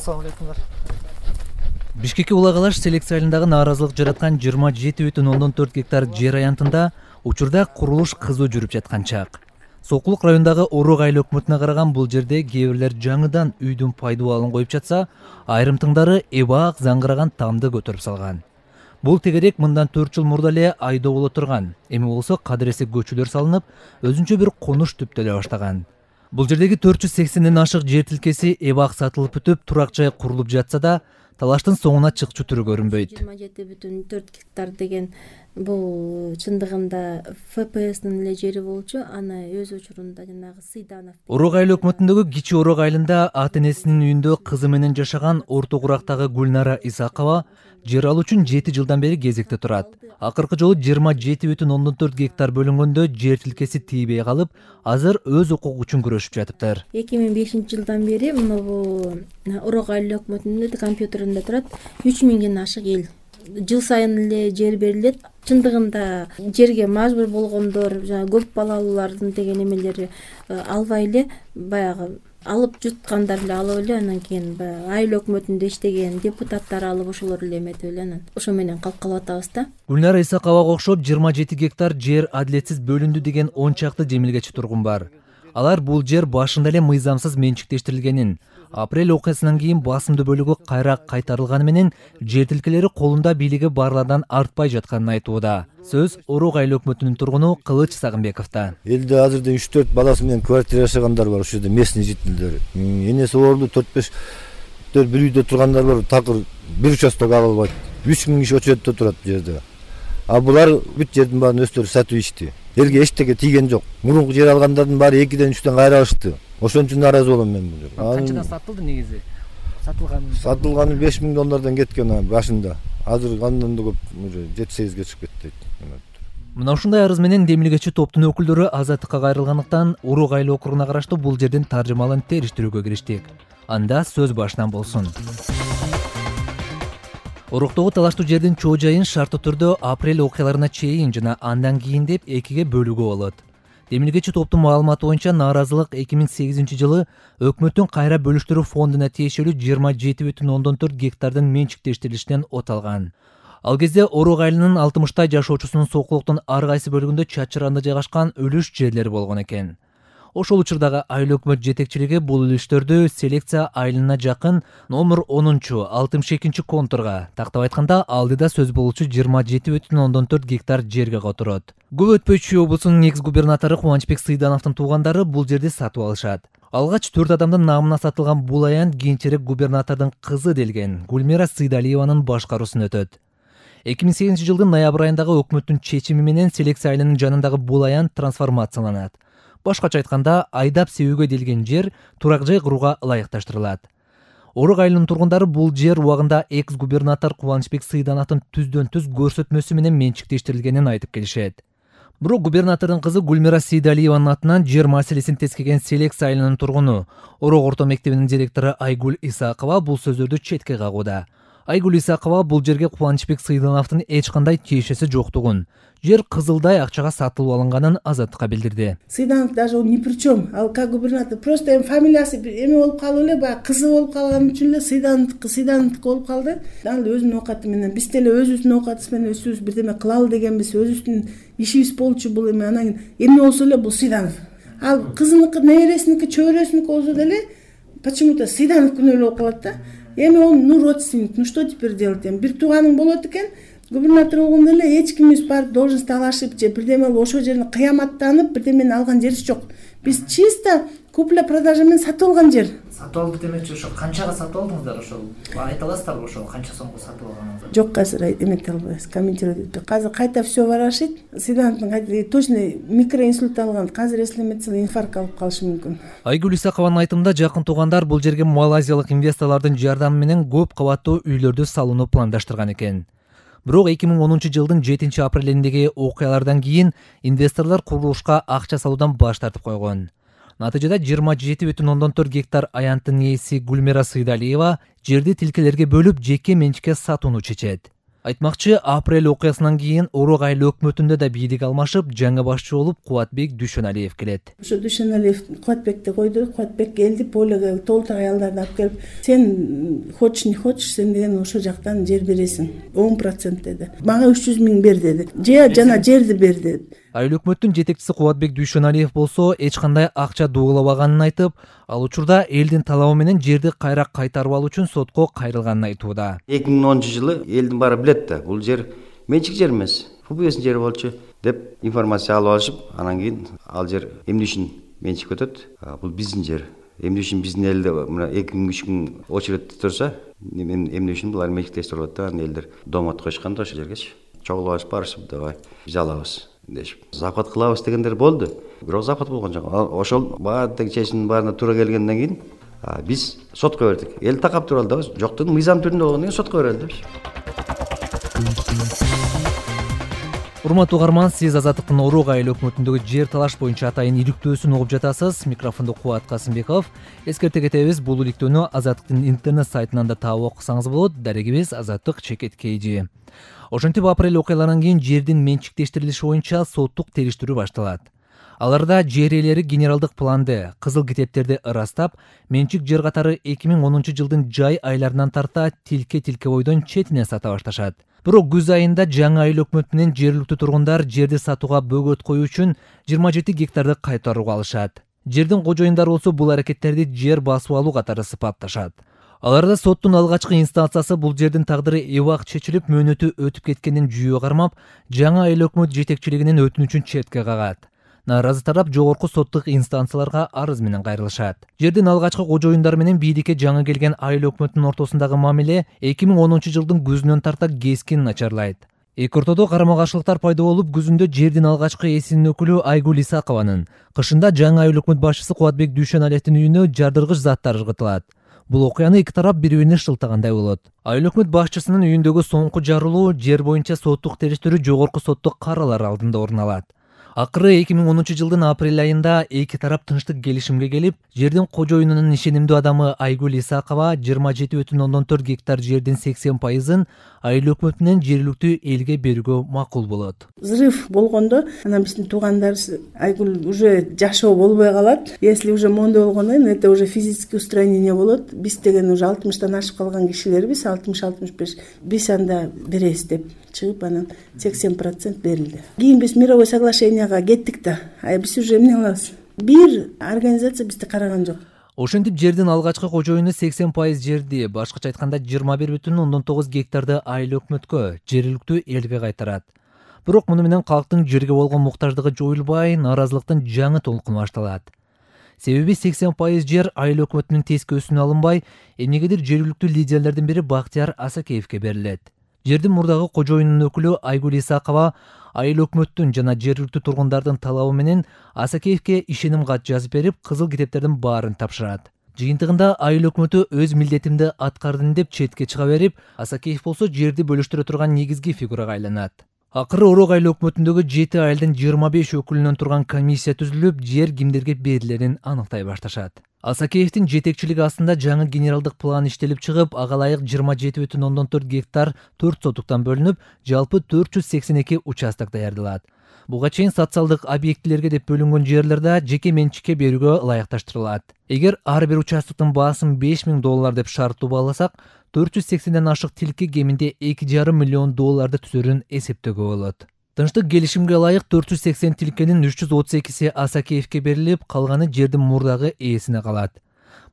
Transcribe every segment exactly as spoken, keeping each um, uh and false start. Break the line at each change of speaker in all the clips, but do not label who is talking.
Assalamu alaikum.
Бишкекке улагалаш селекция айылындагы нааразылык жараткан жыйырма жети бүтүн ондон төрт гектар жер аянтында учурда курулуш кызуу жүрүп жаткан чак. Сокулук районундагы Орок айыл өкмөтүнө караган бул жерде кээ бирлер жаңыдан үйдүн пайдубалын коюп жатса, айрым тыңдары эбак заңгыраган тамды көтөрүп салган. Бул тегерек мындан төрт жыл мурда эле айдоо боло турган. Эми болсо кадыресе көчөлөр салынып, өзүнчө бир конуш түптөлө баштаган. Бул жердеги төрт жүз сексенден ашык жер тилкеси эбак сатылып бүтүп, турак жай курулуп жатса да, талаштын соңуна чыкчу түрү көрүнбөйт.
жыйырма жети бүтүн төрт гектар деген бул чындыгында эф пэ эстин эле жери болчу, аны өз учурунда жанагы Сыйданов.
Орок айыл өкмөтүндөгү Кичи Орок айылында ата энесинин үйүндө кызы менен жашаган Орто Курактагы Гүлнара Исакова жер алуу үчүн жети жылдан бери кезекте турат. Акыркы жолу жыйырма жети бүтүн ондон төрт гектар бөлүнгөндө жер тилкеси тийбей калып, азыр өз укугу үчүн күрөшүп жатыптыр.
эки миң бешинчи жылдан бери мына бул Орок айыл өкмөтүнүн компьютеринде турат үч миңден ашык эл. Жыл сайын эле жер берилет. Чындыгында жерге мажбур болгондор, жана көп балалуулардын деген эмелери албай эле баягы алып жуткандар эле алып эле, анан кийин баягы айыл өкмөтүндө иштеген депутаттар алып ошолор эле эметип эле анан ошо менен калып калып атабыз да.
Гүлнара Исаковага окшоп жыйырма жети гектар жер адилетсиз бөлүндү деген он чакты жемилгечи тургун бар. Алар бул жер башында эле мыйзамсыз менчиктештирилгенин, апрель окуясынан кийин басымдуу бөлүгү кайра кайтарылганы менен жер тилкелери колунда бийлиги барлардан артпай жатканын айтууда. Сөз Орок айыл өкмөтүнүн тургуну Кылыч Сагынбековдо.
Элде азырда үч төрт баласы менен квартира жашагандар бар, ошол жерде местный жителдер. Энеси оорулуу төрт беш бир үйдө тургандар бар, такыр бир участок ала албайт. үч миң киши очередде турат бул жерде. А булар бүт жердин баарын өздөрү сатып ичти. Элге эчтеке тийген жок. Мурунку жер алгандардын баары экиден үчтөн кайра алышты. Ошон үчүн нааразы болом мен бул жерге.
Канчадан сатылды негизи? Сатылган
Сатылганы беш миң доллардан кеткен башында. Азыр андан да көп уже жети сегизге чыгып кетти.
Мына ушундай арыз менен демилгечи топтун өкүлдөрү азаттыкка кайрылгандыктан Орок айыл округуна караштуу бул жердин таржымалын териштирүүгө кириштик. Анда сөз башынан болсун. Ороктогу талаштуу жердин чоо жайын шарттуу түрдө апрель окуяларына чейин жана андан кийин деп экиге бөлүүгө болот. Демилгечи топтун маалыматы боюнча нааразылык эки миң сегизинчи жылы өкмөттүн кайра бөлүштүрүү фондуна тиешелүү жыйырма жети бүтүн ондон төрт гектардын менчиктештирилишинен от алган. Ал кезде Орок айылынын алтымыштай жашоочусунун сокулуктун ар кайсы бөлүгүндө чачыранда жайгашкан үлүш жерлери болгон экен. Ошол учурдагы айыл өкмөт жетекчилиги бул үлүштөрдү селекция айылына жакын номер онунчу алтымыш экинчи контурга, тактап айтканда алдыда сөз болуучу жыйырма жети бүтүн ондон төрт гектар жерге которот. Көп өтпөй Чүй облусунун экс губернатору Кубанычбек Сыйдановдун туугандары бул жерди сатып алышат. Алгач төрт адамдын намына сатылган бул аянт кийинчерээк губернатордун кызы делген Гүлмира Сыйдалиеванын башкаруусун өтөт. эки миң сегизинчи жылдын ноябрь айындагы өкмөттүн чечими менен селекция айылынын жанындагы бул аянт трансформацияланат. Башкача айтканда, айдап себүүгө делген жер турак жай курууга ылайыкташтырылат. Орок айылынын тургундары бул жер убагында экс-губернатор Кубанычбек Сыйдановдун түздөн түз көрсөтмөсү менен менчиктештирилгенин айтып келишет. Бирок губернатордун кызы Гүлмира Сыйдалиеванын атынан жер маселесин тескеген селекция айылынын тургуну, Орок орто мектебинин директору Айгүл Исакова бул сөздөрдү четке кагууда. Айгүл Исакова бул жерге Кубанычбек Сыйдановдун эч кандай тиешеси жоктугун, жер кызылдай акчага сатылып алынганын азаттыкка билдирди.
Сыйданов даже он ни при чем. А как губернатор просто эми фамилиясы эме болуп калып эле, баягы кызы болуп калган үчүн эле Сыйдановдуку Сыйдановдуку болуп калды. Ал өзүнүн оокаты менен биз деле өзүбүздүн оокатыбыз менен өзүбүз бирдеме кылалы дегенбиз, өзүбүздүн ишибиз болчу бул эме. Анан эмне болсо эле бул Сыйданов. Ал кызыныкы, небересиники, чөбөрөсүнүкү болсо деле почему-то Сыйдановдукун эле болуп калат да. Эми он ну родственник, ну что теперь делать? Эми бир тууганың болот экен, губернатор болгондо эле эч кимибиз барып должность талашып же бирдеме ошол жерин кыяматтанып бирдемени алган жерибиз жок. Биз чисто купля продажа менен сатып алган жер.
Сатып алды демекчи, ошо канчага сатып алдыңыздар, ошол айта аласыздарбы, ошол канча сомго сатып алганыңызды?
Жок, азыр эмете албайбыз, комментировать этпейм. Азыр кайта все ворошить. Сыйдановдун кайта точно микроинсульт алган. Азыр эслеметсе инфаркт алып калышы мүмкүн.
Айгүл Исакованын айтымында жакын туугандар бул жерге малайзиялык инвесторлордун жардамы менен көп кабаттуу үйлөрдү салууну пландаштырган экен. Бирок эки миң онунчу жылдын жетинчи апрелиндеги окуялардан кийин инвесторлор курулушка акча салуудан баш тартып койгон. Натыйжада жыйырма жети бүтүн ондон төрт гектар аянттын ээси Гүлмира Сыйдалиева жерди тилкелерге бөлүп жеке менчикке сатууну чечет. Айтмакчы, апрель окуясынан кийин Орок айыл өкмөтүндө да бийлик алмашып, жаңы башчы болуп Кубатбек Дүйшөналиев келет.
Ошо Дүйшөналиев Кубатбекти койду, Кубатбек келди, Поляга толтур аялдарды алып келип, сен хочешь не хочешь, сен деген ошо жактан жер бересиң, он процент деди. Мага үч жүз миң бер деди. Же жана жерди бер деди.
Айыл өкмөттүн жетекчиси Кубатбек Дүйшөналиев болсо эч кандай акча дуулабаганын айтып, ал учурда элдин талабы менен жерди кайра кайтарып алуу үчүн сотко кайрылганын айтууда.
эки миң онунчу жылы элдин баары билет да, бул жер менчик жер эмес, ФБСнин жери болчу деп информация алып алышып, анан кийин ал жер эмне үчүн менчик өтөт? Бул биздин жер. Эмне үчүн биздин элде мына эки миң үч миң очередте турса, эмне үчүн булар менчиктештирип алат да, анан элдер домот коюшкан да ошол жергечи. Чогулуп алышып барышып, давай биз алабыз дешип. Запад кылабыз дегендер болду. Бирок запад болгон жок. Ошол баардык чечимдин баарына туура келгенден кийин биз сотко бердик. Эл такап туруп алды да, жоктун мыйзам түрүндө болгондон кийин сотко берели деп.
Урматтуу угарман, сиз Азаттыктын Орок айыл өкмөтүндөгү жер талаш боюнча атайын иликтөөсүн угуп жатасыз. Микрофондо Кубат Касымбеков. Эскерте кетебиз, бул иликтөөнү Азаттыктын интернет сайтынан да таап окусаңыз болот. Дарегибиз Азаттык чекит kg. Ошентип апрель окуяларынан кийин жердин менчиктештирилиши боюнча соттук териштирүү башталат. Аларда жер ээлери генералдык планды, кызыл китептерди ырастап, менчик жер катары эки миң онунчу жылдын жай айларынан тарта тилке-тилке бойдон четине сата башташат. Бирок күз айында жаңы айыл өкмөтү менен жергиликтүү тургундар жерди сатууга бөгөт коюу үчүн жыйырма жети гектарды кайтарууга алышат. Жердин кожоюндары болсо бул аракеттерди жер басып алуу катары сыпатташат. Аларда соттун алгачкы инстанциясы бул жердин тагдыры эбак чечилип, мөөнөтү өтүп кеткенин жүйө кармап, жаңы айыл өкмөт жетекчилигинин өтүнүчүн четке кагат. Нааразы тарап жогорку соттук инстанцияларга арыз менен кайрылышат. Жердин алгачкы кожоюндары менен бийликке жаңы келген айыл өкмөтүнүн ортосундагы мамиле эки миң онунчу жылдын күзүнөн тарта кескин начарлайт. Эки ортодо карама каршылыктар пайда болуп, күзүндө жердин алгачкы эсинин өкүлү Айгүл Исакованын, кышында жаңы айыл өкмөт башчысы Кубатбек Дүйшөналиевдин үйүнө жардыргыч заттар ыргытылат. Бул окуяны эки тарап бири-бирине шылтагандай болот. Айыл өкмөт башчысынын үйүндөгү соңку жарылуу жер боюнча соттук териштирүү жогорку соттук каралар алдында орун алат. Акыры эки миң онунчу жылдын апрель айында эки тарап тынчтык келишимге келип, жердин кожоюнунун ишенимдүү адамы Айгүл Исакова жыйырма жети бүтүн ондон төрт гектар жердин сексен пайызын айыл өкмөтү менен жергиликтүү элге берүүгө макул болот.
Взрыв болгондо, анан биздин туугандарыбыз Айгүл уже жашоо болбой калат. Если уже мондой болгондон кийин это уже физический устранение болот. Биз деген уже алтымыштан ашып калган кишилербиз, алтымыш алтымыш беш. Биз анда беребиз деп чыгып, анан сексен процент берилди. Кийин биз мировой соглашенияга кеттик да. А биз уже эмне кылабыз? Бир организация бизди караган жок.
Ошентип жердин алгачкы кожоюну сексен пайыз жерди, башкача айтканда жыйырма бир бүтүн ондон тогуз гектарды айыл өкмөткө, жергиликтүү элге кайтарат. Бирок муну менен калктын жерге болгон муктаждыгы жоюлбай, нааразылыктын жаңы толкуну башталат. Себеби сексен пайыз жер айыл өкмөтүнүн тескөөсүнө алынбай, эмнегедир жергиликтүү лидерлердин бири Бактияр Асакеевке берилет. Жердин мурдагы кожоюнунун өкүлү Айгүл Исакова айыл өкмөттүн жана жергиликтүү тургундардын талабы менен Асакеевке ишеним кат жазып берип, кызыл китептердин баарын тапшырат. Жыйынтыгында айыл өкмөтү өз милдетимди аткардым деп четке чыга берип, Асакеев болсо жерди бөлүштүрө турган негизги фигурага айланат. Акыры Орок айыл өкмөтүндөгү жети айылдын жыйырма беш өкүлүнөн турган комиссия түзүлүп, жер кимдерге берилерин аныктай башташат. Асакеевдин жетекчилиги астында жаңы генералдык план иштелип чыгып, ага ылайык жыйырма жети бүтүн ондон төрт гектар төрт сотуктан бөлүнүп, жалпы төрт жүз сексен эки участок даярдалат. Буга чейин социалдык объектилерге деп бөлүнгөн жерлерде жеке менчикке берүүгө ылайыкташтырылат. Эгер ар бир участоктун баасын беш миң доллар деп шарттуу бааласак, төрт жүз сексенден ашык тилке кеминде эки жарым миллион долларды түзөрүн эсептөөгө болот. Тынчтык келишимге ылайык төрт жүз сексен тилкенин үч жүз отуз экиси Асакеевке берилип, калганы жердин мурдагы ээсине калат.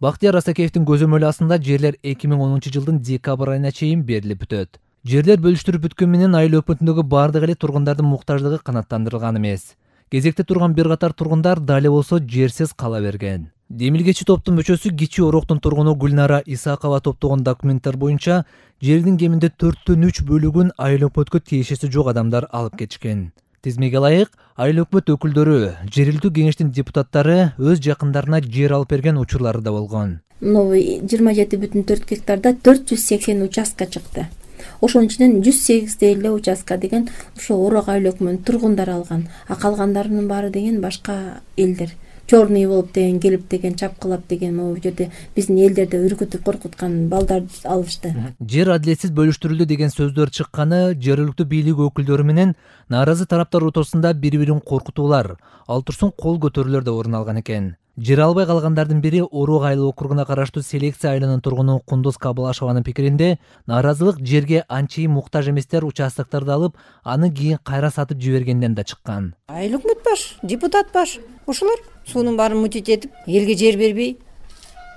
Бактияр Асакеевдин көзөмөлү астында жерлер эки миң онунчу жылдын декабрь айына чейин берилип бүтөт. Жерлер бөлүштүрүп бүткөн менен айыл өкмөтүндөгү бардык эле тургундардын муктаждыгы канааттандырылган эмес. Кезекте турган бир катар тургундар дали болсо жерсиз кала берген. Демилгечи топтун мүчөсү Кичи Ороктун тургуну Гүлнара Исакова топтогон документтер боюнча жердин кеминде төрттөн үч бөлүгүн айыл өкмөткө тиешеси жок адамдар алып кетишкен. Тизмеге ылайык, айыл өкмөт өкүлдөрү, жергиликтүү кеңештин депутаттары өз жакындарына жер алып берген учурлары да болгон.
Новый жыйырма жети бүтүн төрт гектарда төрт жүз сексен участка чыкты. Ошонун ичинен жүз сегизде эле участка деген ошо Орок айыл өкмөтүнүн тургундары алган, а калгандарынын баары деген башка элдер. черный болуп деген келип деген чапкылап деген могу жерде биздин элдерди үркүтүп коркуткан балдарды алышты.
Жер адилетсиз бөлүштүрүлдү деген сөздөр чыкканы жергиликтүү бийлик өкүлдөрү менен нааразы тараптар ортосунда бири-бирин коркутуулар, ал турсун кол көтөрүүлөр да орун алган экен. Жер албай калгандардын бири Орок айыл округуна караштуу Селекция айылынын тургуну Кундуз Кабылашованын пикиринде, нааразылык жерге анчейин муктаж эместер участокторду алып, аны кийин кайра сатып жибергенден да чыккан.
Айыл өкмөт баш, депутат баш. Ошолор суунун баарын мутить этип, элге жер бербей,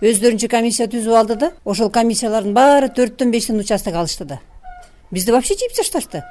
өздөрүнчө комиссия түзүп алды да, ошол комиссиялардын баары төрттөн бештен участок алышты да. Бизди вообще жип ташташты.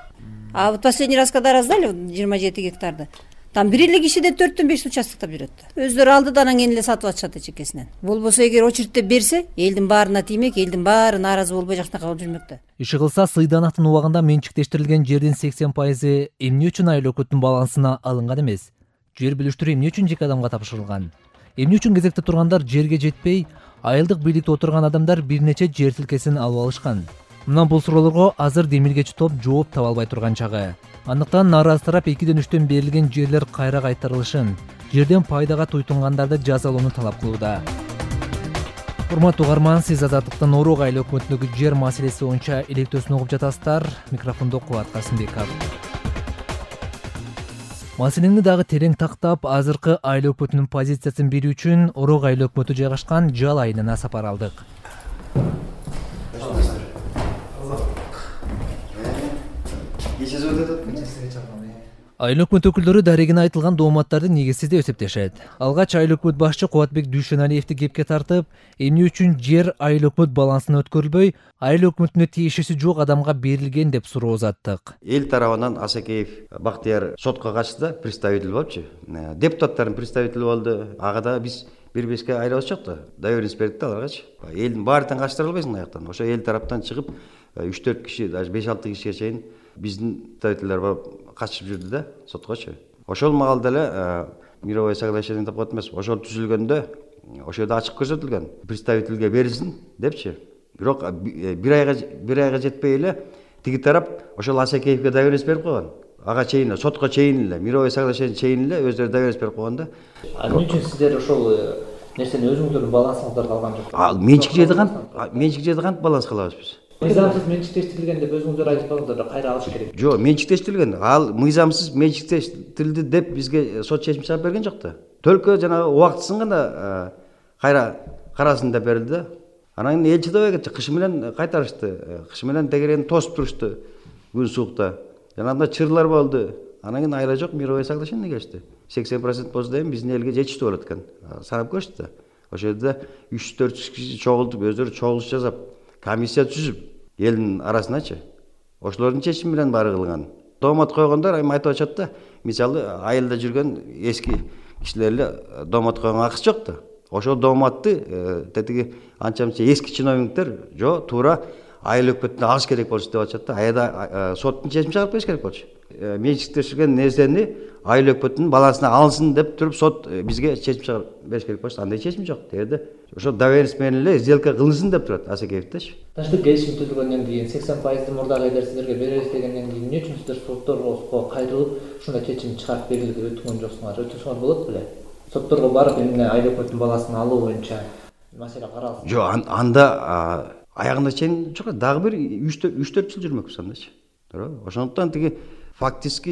А вот последний раз когда раздали жыйырма жети гектарды, там бир эле кишиде төрттөн беш участоктоп жүрөт. Өздөрү алды да анан кийин эле сатып атышат эчекесинен. Болбосо эгер очередьте берсе, элдин баарына тиймек, элдин баары нааразы болбой жакта калып жүрмөк да.
Иши кылса Сыйданактын убагында менчиктештирилген жердин сексен пайызы эмне үчүн айыл өкмөттүн балансына алынган эмес? Жер бүлүштүрүү эмне үчүн жеке адамга тапшырылган? Эмне үчүн кезекте тургандар жерге жетпей, айылдык бийликте отурган адамдар бир нече жер тилкесин алып алышкан? Мына бул суроолорго азыр демилгечи топ жооп таба албай турган чагы. Андыктан нааразы тарап экиден үчтөн берилген жерлер кайра кайтарылышын, жерден пайдага туйтунгандарды жазалоону талап кылууда. Урматтуу угарман, сиз Азаттыктын Орок айыл өкмөтүндөгү жер маселеси боюнча илектөөсүн угуп жатасыздар. Микрофондо Кубат Касымбеков. Маселени дагы терең тактап, азыркы айыл өкмөтүнүн позициясын берүү үчүн Орок айыл өкмөтү жайгашкан Жал айылына сапар алдык. Айыл өкмөт өкүлдөрү дарегине айтылган дооматтарды негизсиз деп эсептешет. Алгач айыл өкмөт башчы Кубатбек Дүйшөналиевди кепке тартып, эмне үчүн жер айыл өкмөт балансына өткөрүлбөй, айыл өкмөтүнө тиешеси жок адамга берилген деп суроо узаттык.
Эл тарабынан Асакеев Бактияр сотко качты, представитель болчу. Депутаттардын представители болду. Ага да биз бир бешке айрылышчак да. Доверенность бердик да аларгачы. Элдин баарын качтыра албайсың аяктан. Ошо эл тараптан чыгып үч төрт киши, даже беш алты кишиге чейин биздин представительдер барып качып жүрдү да соткочу. Ошол маалда эле мировое соглашение деп коет эмес. Ошол түзүлгөндө ошол жерде ачык көрсөтүлгөн. Представительге берилсин депчи. Бирок бир айга бир айга жетпей эле тиги тарап ошол Асакеевге доверенность берип койгон. Ага чейин сотко чейин эле, мировое соглашение чейин эле өздөрү доверенность берип койгон да.
А эмне үчүн сиздер ошол нерсени өзүңүздөрдүн балансыңыздарга алган жоксуз?
Ал менчик жерди кантип, менчик жерди кантип баланс кылабыз биз?
Мыйзамсыз менчиктештирилген деп өзүңүздөр айтып калдыңдар, кайра алыш керек.
Жок, менчиктештирилген. Ал мыйзамсыз менчиктештирилди деп бизге сот чечим чыгарып берген жок да. Төлкө жанагы убактысын гана кайра карасын деп берилди да. Анан эл чыдабай кетти, кыш менен кайтарышты. Кыш менен тегерени тосуп турушту күн суукта. Жанагында чырлар болду. Анан кийин айла жок, мировое соглашение кечти. сексен процент болсо дайым биздин элге жетиштүү болот экен. Санап көрүштү да. Ошол жерде үч төрт киши чогултуп, өздөрү чогулуш жасап, комиссия түзүп, элдин арасыначы. Ошолордун чечими менен баары кылган. Доомат койгондор эми айтып атышат да, мисалы айылда жүргөн эски кишилер эле доомат койгонго акысы жок да. Ошол дооматты тетиги анча-мынча эски чиновниктер жок, туура айыл өкмөтүнө алыш керек болчу деп атышат да. Аяда соттун чечим чыгарып бериш керек болчу. Менчиктештирген нерсени айыл өкмөтүнүн балансына алынсын деп туруп сот бизге чечим чыгарып бериш керек болчу. Андай чечим жок. Дерде ошо доверенность менен эле сделка кылынсын деп турат Асакеевдеш.
Таштык келишим түзүлгөндөн кийин сексен пайызды мурдагы элдер сиздерге беребиз дегенден кийин эмне үчүн сиздер сотторго кайрылып ушундай чечим чыгарып берели деп өтүнгөн жоксуңар? Өтүңүздөр болот беле? Сотторго барып эмне айыл өкмөтүнүн баласын алуу боюнча маселе каралсын.
Жок, анда аягында чейин жок, дагы бир үч төрт жыл жүрмөкпүз андачы. Туура. Ошондуктан тиги фактически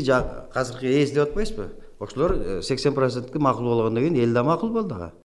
азыркы ээс деп атпайсызбы? Ошолор сексен процентке макул болгондон кийин эл да макул болду ага.